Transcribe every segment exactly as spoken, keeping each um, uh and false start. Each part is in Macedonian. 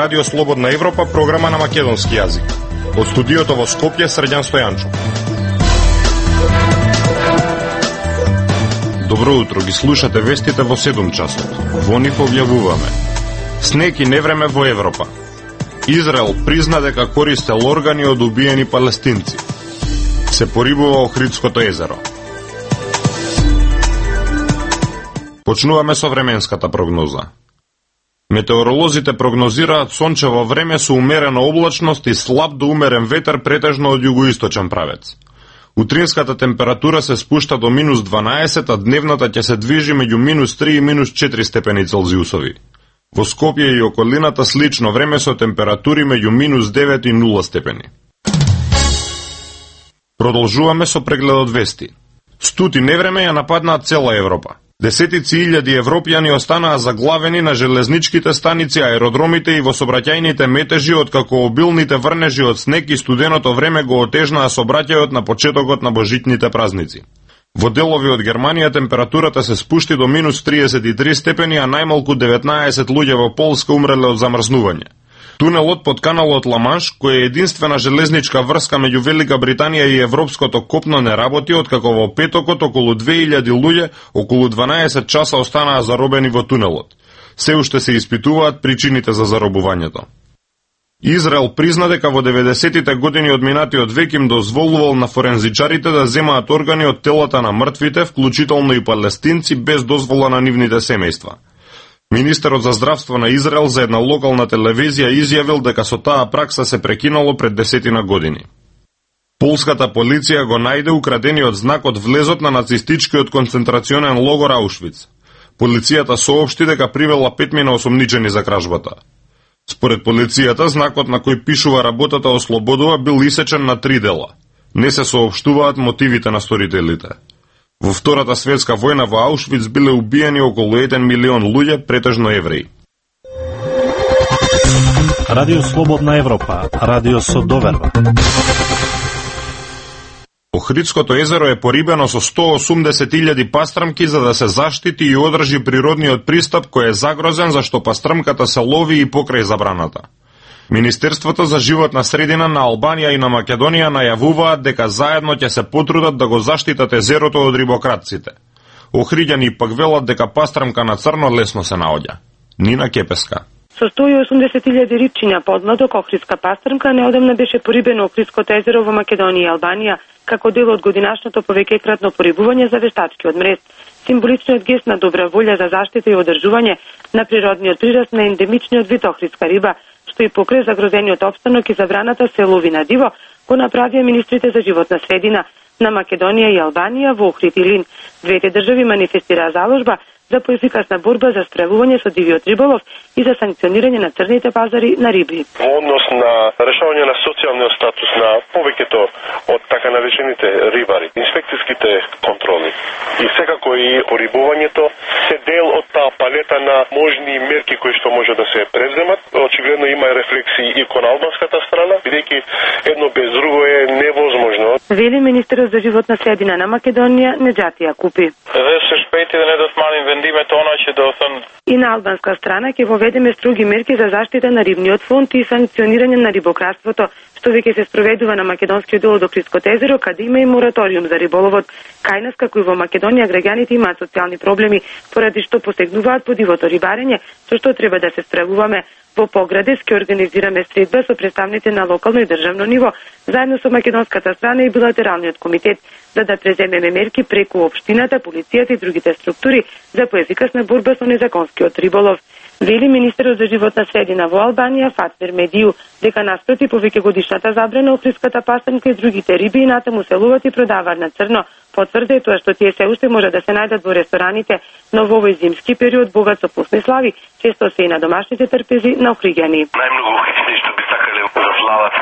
Радио Слободна Европа, програма на македонски јазик. Од студиото во Скопје, Срđan Стојанчов. Добро утро, ги слушате вестите во седум часот. Во нив објавуваме: снег и невреме во Европа. Израел призна дека користел органи од убиени палестинци. Се порибува Охридското езеро. Почнуваме со временската прогноза. Метеоролозите прогнозираат сончево време со умерена облачност и слаб до умерен ветер претежно од југоисточен правец. Утринската температура се спушта до минус дванаесет, а дневната ќе се движи меѓу минус три и минус четири степени Целзиусови. Во Скопје и околината слично време со температури меѓу минус девет и нула степени. Продолжуваме со прегледот вести. Студ и невреме ја нападнаа цела Европа. Десетици илјади европјани останаа заглавени на железничките станици, аеродромите и во сообраќајните метежи, откако обилните врнежи од снег и студеното време го отежнаа сообраќајот на почетокот на божитните празници. Во делови од Германија температурата се спушти до минус триесет и три степени, а најмалку деветнаесет луѓе во Полска умреле од замрзнување. Тунелот под каналот Ла-Манш, кој е единствена железничка врска меѓу Велика Британија и европското копно, не работи, откако во петокот околу две илјади луѓе околу дванаесет часа останаа заробени во тунелот. Се уште се испитуваат причините за заробувањето. Израел призна дека во деветдесетите години од минатиот век им дозволувал на форензичарите да земаат органи од телата на мртвите, вклучително и палестинци, без дозвола на нивните семејства. Министерот за здравство на Израел за една локална телевизија изјавил дека со таа пракса се прекинало пред десетина години. Полската полиција го најде украдениот знак од влезот на нацистичкиот концентрационен логор Аушвиц. Полицијата соопшти дека привела петмина осомничени за кражбата. Според полицијата, знакот на кој пишува работата ослободува бил исечен на три дела. Не се соопштуваат мотивите на сторителите. Во Втората светска војна во Аушвиц биле убиени околу еден милион луѓе, претежно евреи. Радио Слободна Европа, радио со доверба. Охридското езеро е порибено со сто осумдесет илјади пастрамки за да се заштити и одржи природниот пристап кој е загрозен зашто пастрамката се лови и покрај забраната. Министерството за животна средина на Албанија и на Македонија најавуваат дека заедно ќе се потрудат да го заштитат езерото од рибократците. Охриѓани пак велат дека пастрамка на црно лесно се наоѓа. Нина Кепеска. Со сто и осумдесет илјади рибчиња подмладок охридска пастрамка неодамна беше порибено Охридското езеро во Македонија и Албанија како дел од годинашното повеќекратно порибување за вештачкиот мрез. Символичниот гест на добра волја за заштита и одржување на природниот прираст на ендемичниот вид охридска риба, што и покрај загрозениот опстанок и забраната се лови на диво, го направија министрите за животна средина на Македонија и Албанија во Охрид и Лин. Двете држави манифестираа заложба за поефикасна борба за справување со дивиот риболов и за санкционирање на црните пазари на риби. Во однос на решавање на социјалниот статус на повеќето од така наречените рибари, инспекцијските контроли и секако и порибувањето се дел од таа палета на можни мерки кои што може да се преземат. Очигледно има рефлексии и кон албанската страна, бидејќи едно без друго е невозможно. Вели министерот за животна средина на Македонија Неџати Јакупи. И на албанска страна ќе воведеме строги мерки за заштита на рибниот фонд и санкционирање на рибократството, што веќе се спроведува на македонскиот дел од Охридското езеро, каде има и мораториум за риболовот. Кај нас, како и во Македонија, граѓаните имаат социјални проблеми, поради што посегнуваат по дивото рибарење, со што треба да се справуваме. Во Поградец ќе организираме средба со представници на локално и државно ниво, заедно со македонската страна и билатералниот комитет, за да преземеме мерки преку општината, полицијата и другите структури за поефикасна борба со незаконскиот риболов. Вели министерот за животна средина во Албанија Фатмир Медију дека наспроти повеќегодишната забрана охридската пастрамка и другите риби и натаму се ловат и продаваат на црно. Потврди тоа што тие се уште може да се најдат во рестораните, но во овој зимски период богат со вкусни слави, често се и на домашните трпези на охриѓани. Најмногу охриѓани што би сакале да слават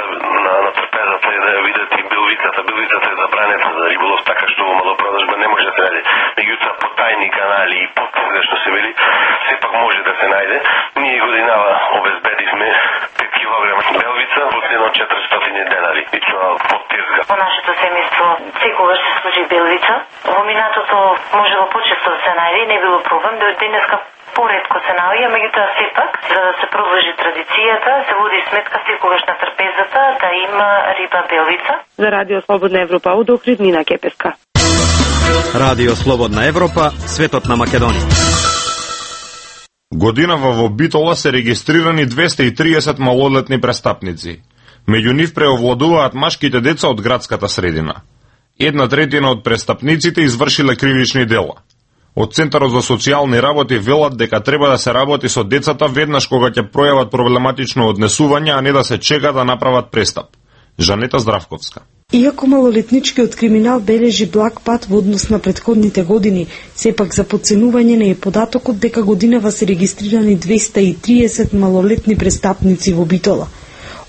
на, на трпезата и да видат и билвицата. Билвицата е забранета за риболов, така што во малопродажба не може да се најде. Меѓутоа по тајни канали и под што се вели, сепак може да се најде. Ние годинава обезбедивме пет килограма белвица по цена од четиристотини денари. И тоа под тезга. Во нашето семејство секогаш се служи белвица. Во минатото можело почесто да се најде, не било проблем. До денеска Поретко се наоѓа, меѓутоа сепак, за да се продолжи традицијата, се води сметка секогаш на трпезата да има риба белвица. За Радио Слободна Европа од Охрид, Нина Кепеска. Радио Слободна Европа, светот на Македонија. Годинава во Битола се регистрирани двесте и триесет малолетни престапници. Меѓу нив преовладуваат машките деца од градската средина. Една третина од престапниците извршиле кривични дела. Од Центарот за социјални работи велат дека треба да се работи со децата веднаш кога ќе пројават проблематично однесување, а не да се чека да направат престап. Жанета Здравковска. Иако малолетничкиот криминал бележи благ пат во однос на претходните години, сепак за подценување не е податокот дека годинава се регистрирани двесте и триесет малолетни престапници во Битола.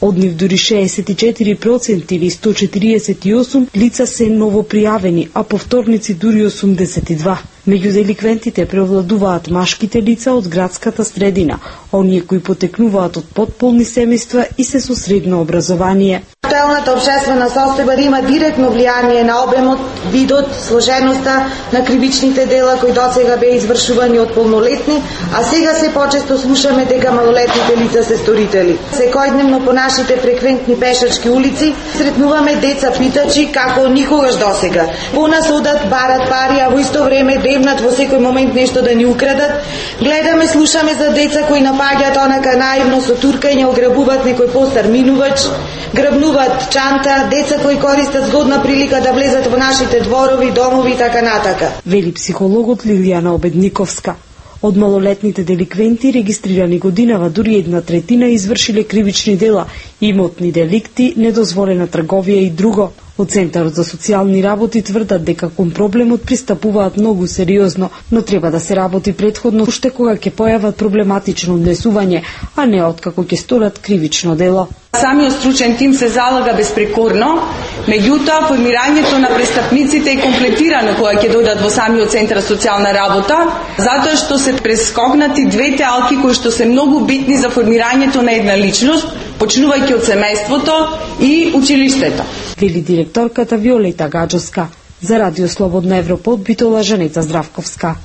Од нив дури шеесет и четири проценти или сто четириесет и осум лица се новопријавени, а повторници дури осумдесет и два. Меѓу деликвентите преовладуваат машките лица од градската средина, оние кои потекнуваат од потполни семејства и се со средно образование. Актуелната обшествена состојба има директно влијание на обемот, видот, сложеноста на кривичните дела кои досега беа извршувани од полнолетни, а сега се почесто слушаме дека малолетните лица се сторители. Секојдневно по нашите фреквентни пешачки улици сретнуваме деца питачи како никогаш досега. По нас одат, барат пари, а во исто време дребнат во секој момент нешто да ни украдат. Гледаме, слушаме за деца кои напаѓаат онака наивно со туркање, ограбуваат некој постар минувач, грабнуваат чанта, деца кои користат згодна прилика да влезат во нашите дворови, домови и така натака. Вели психологот Лилијана Обедниковска. Од малолетните деликвенти регистрирани годинава дури една третина извршиле кривични дела, имотни деликти, недозволена трговија и друго. Од Центарот за социјални работи тврдат дека кон проблемот пристапуваат многу сериозно, но треба да се работи претходно уште кога ќе појават проблематично однесување, а не откако ќе сторат кривично дело. Самиот стручен тим се залага безпрекорно, меѓутоа формирањето на престапниците е комплетирано кога ќе дојдат во самиот Центар за социјална работа, затоа што се прескокнати двете алки кои што се многу битни за формирањето на една личност, почнувајќи од семејството и училиштето. Вели директорката Виолета Гаджоска. За Радио Слободна Европа од Битола, Жанета Здравковска.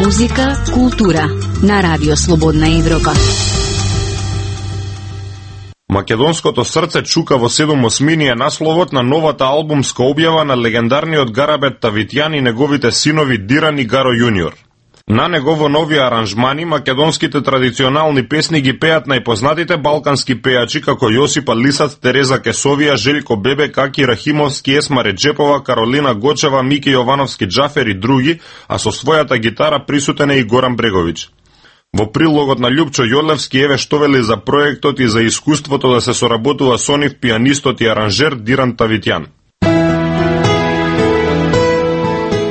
Музика, култура на Радио Слободна Европа. Македонското срце чука во седум осмини е насловот на новата албумска објава на легендарниот Гарабет Тавитјан и неговите синови Диран и Гаро Јуниор. На него во нови аранжмани македонските традиционални песни ги пеат најпознатите балкански пејачи како Јосипа Лисац, Тереза Кесовија, Желјко Бебе, Каки Рахимовски, Есма Реджепова, Каролина Гочева, Мики Јовановски Џафер и други, а со својата гитара присутен е и Горан Бреговиќ. Во прилогот на Љупчо Јолевски еве што вели за проектот и за искуството да се соработува со нив пианистот и аранжер Диран Тавитјан.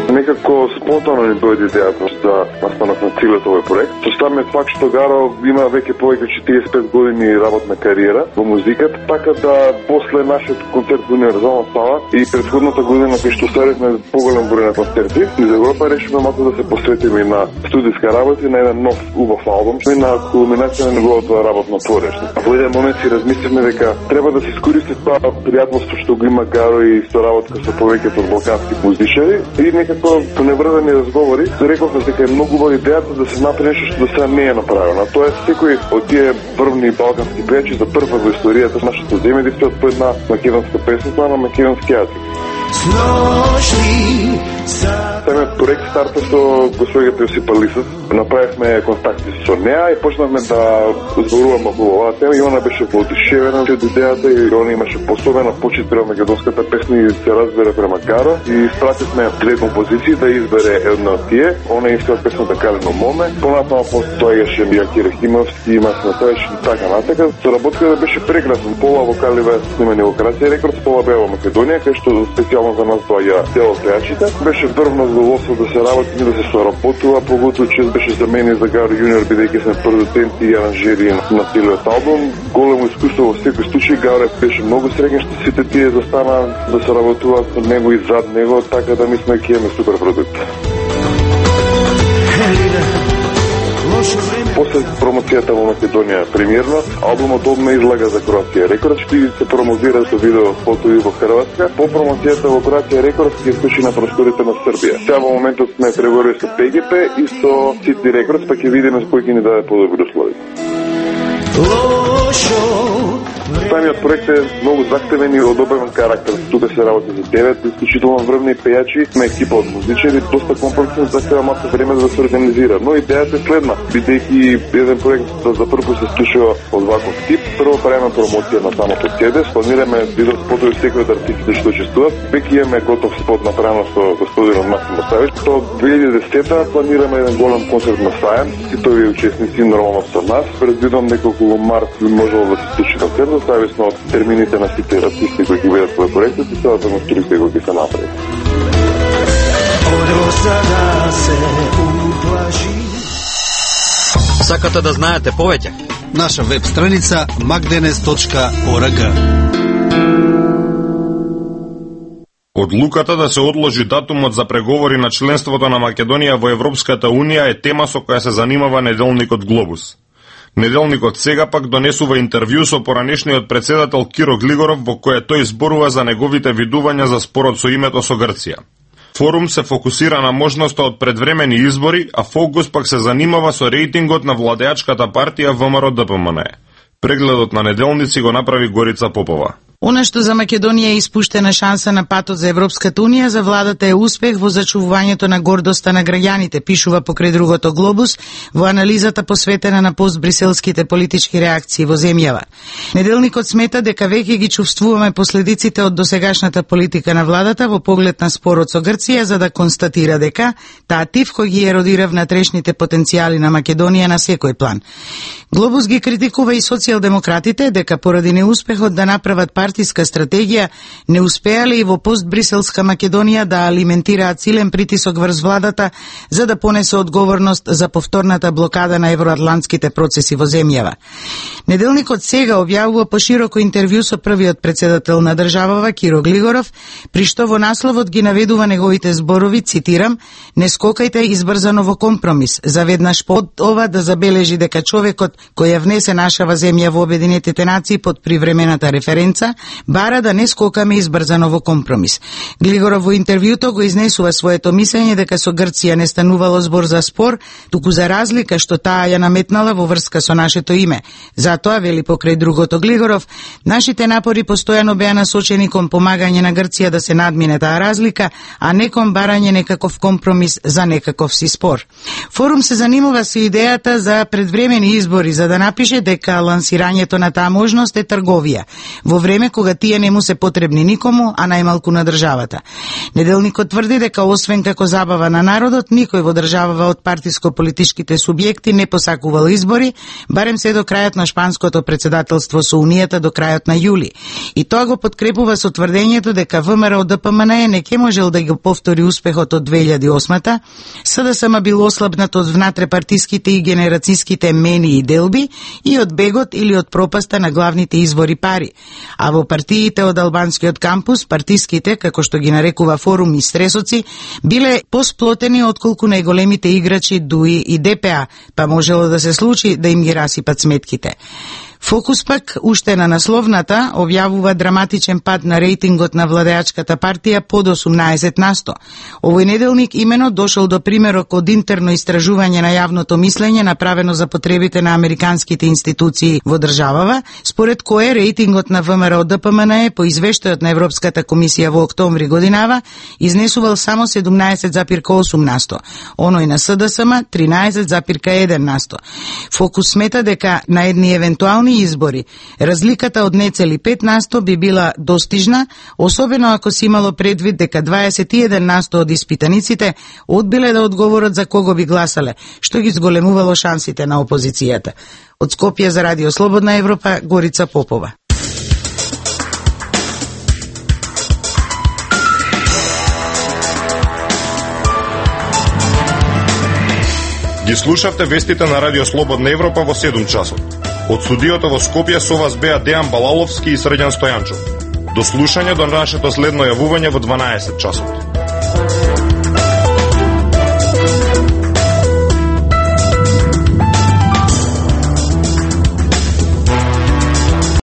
Некако спонтано ни дојде идејата да настанат на целиот овој проект. Со самиот факт што Гаро има веќе повеќе од четириесет и пет години работна кариера во музиката, така да после нашиот концерт во Универзална сала и претходната година кај што ставивме поголем број на концерти, из Европа решивме малку да се посветиме на студиска работа и на еден нов убав албум, и на кулминација на неговото работно творење. Во еден момент си размисливме дека треба да се искористи тоа пријателство што го има Гаро и соработка со повеќето од балкански музичари и некако по неврзани разговори, рековме дека е многу убава идејата да се направи нешто што до сега не е направено. Тоа е секој од тие првни балкански пејачи за прв пат во историјата на нашето земје да испеат по една македонска песна на македонски јазик. Самиот проект старта со госпоѓата Јосипа Лисац. Направивме контакти со неа и почнавме да зборуваме околу оваа тема и она беше воодушевена од идејата и она имаше посебена почит према македонската песна и се разбере према Гаро и испративме две композиции да избере една од тие. Она искала песната Калено моме, понатаму постоеше Јаки Рахимовски, има Сметајш и така натака. Соработката беше прекрасна. Пола вокали беа снимани во Красија Рекордс, пола беа во Македонија, кај што специјално за нас доаѓа дел од пејачите. Беше врвно задоволство да се работи и да се соработува, поготово чест беше за мене и за Гаро Јуниор, бидејќи сме продуценти и аранжери на целиот албум. Големо искуство во секој случај. Гаро беше многу среќен што сите тие застана да се работуваат со него и зад него, така да мислиме ќе имаме супер продукт. После промоцијата во Македонија премиерно, албумот одма излага за Кроатија Рекордс и се промовира со видео фотови во Хрватска. По промоцијата во Кроатија Рекордс ќе стучи на просторите на Србија. Сега во моментот сме преговори со П Г П и со Сити Рекордс, па ќе видиме кој ќе ни даде подобри услови. Самиот проект е многу захтевен и одобрен карактер. Тука се работи за девет исклучително врвни пејачи, сме екипа од музичари, доста комплексно захтева малку време да се организира. Но идејата е следна, бидејќи еден проект за прв пат се слушува од ваков тип, прво правиме промоција на самото си ди, планираме видео спотови секој од артистите што учествуваат. Веќе имаме готов спот направено со господинот Максим Осавич. До две илјади и десета планираме еден голем концерт на Сајм. Сите овие учесници нормално со нас. Предвидам неколку во март би можело да се случи концерт, зависно од термините на сите артисти кои ќе бидат во проектот и целата конструкција која ќе се направи. Сакате да знаете повеќе? Наша веб страница magdenes точка org. Одлуката да се одложи датумот за преговори на членството на Македонија во Европската Унија е тема со која се занимава неделникот Глобус. Неделникот сега пак донесува интервју со поранешниот председател Киро Глигоров во кое тој зборува за неговите видувања за спорот со името со Грција. Форум се фокусира на можноста од предвремени избори, а фокус пак се занимава со рейтингот на владеачката партија ВМРО Д П М Н. Прегледот на неделници го направи Горица Попова. Она што за Македонија е испуштена шанса на патот за Европската Унија, за владата е успех во зачувувањето на гордоста на граѓаните, пишува покрај другото Глобус во анализата посветена на постбриселските политички реакции во земјава. Неделникот смета дека веќе ги чувствуваме последиците од досегашната политика на владата во поглед на спорот со Грција, за да констатира дека таа тивко ги еродира внатрешните потенцијали на Македонија на секој план. Глобус ги критикува и социјалдемократите дека поради неуспехот да направат партиска стратегија не успеале и во постбриселска Македонија да алиментираат силен притисок врз владата за да понесе одговорност за повторната блокада на евроатлантските процеси во земјава. Неделникот сега објавува пошироко интервју со првиот председател на државава Киро Глигоров, при што во насловот ги наведува неговите зборови, цитирам: "Не скокајте избрзано во компромис, заведнаш под ова да забележи дека човекот кој ја внесе нашава земја во Обединетите нации под привремената референца, бара да не скокаме избрзано во компромис." Глигоров во интервјуто го изнесува своето мислење дека со Грција не станувало збор за спор, туку за разлика што таа ја наметнала во врска со нашето име. Затоа, вели покрај другото Глигоров, нашите напори постојано беа насочени кон помагање на Грција да се надмине таа разлика, а не кон барање некаков компромис за некаков си спор. Форум се занимава со идејата за предвремени избори, за да напише дека лансирањето на таа можност е трговија, во време кога тие не му се потребни никому, а најмалку на државата. Неделникот тврди дека освен како забава на народот, никој во државава од партиско-политичките субјекти не посакувал избори, барем се до крајот на шпанското председателство со Унијата до крајот на јули. И тоа го подкрепува со тврдењето дека ВМРО Д П М Н не ќе можел да го повтори успехот од две илјади и осма. С Д С М бил ослабнат од внатрепартиските и генерацијските мени и делби и од бегот или од пропаста на главните извори пари. А во партиите од албанскиот кампус, партиските, како што ги нарекува Форум, и стресоци, биле посплотени отколку најголемите играчи ДУИ и Д П А, па можело да се случи да им ги расипат сметките. Фокус пак, уште на насловната, објавува драматичен пад на рейтингот на владеачката партија под осумнаесет на сто. Овој неделник имено дошол до примерок од интерно истражување на јавното мислење направено за потребите на американските институции во државава, според кое рейтингот на ВМРО Д П М Н по извештајот на Европската комисија во октомври годинава изнесувал само седумнаесет запир осум на сто, оној на С Д С М тринаесет запир еден на сто. Фокус смета дека на едни евентуални избори разликата од нецели пет на сто би била достижна, особено ако се имало предвид дека дваесет и еден на сто од испитаниците одбиле да одговорат за кого би гласале, што ги зголемувало шансите на опозицијата. Од Скопје за Радио Слободна Европа, Горица Попова. Ги слушавте вестите на Радио Слободна Европа во седум часот. Од студиото во Скопје со вас беа Дејан Балаловски и Срđan Стојанчов. До слушање до нашето следно јавување во дванаесет часот.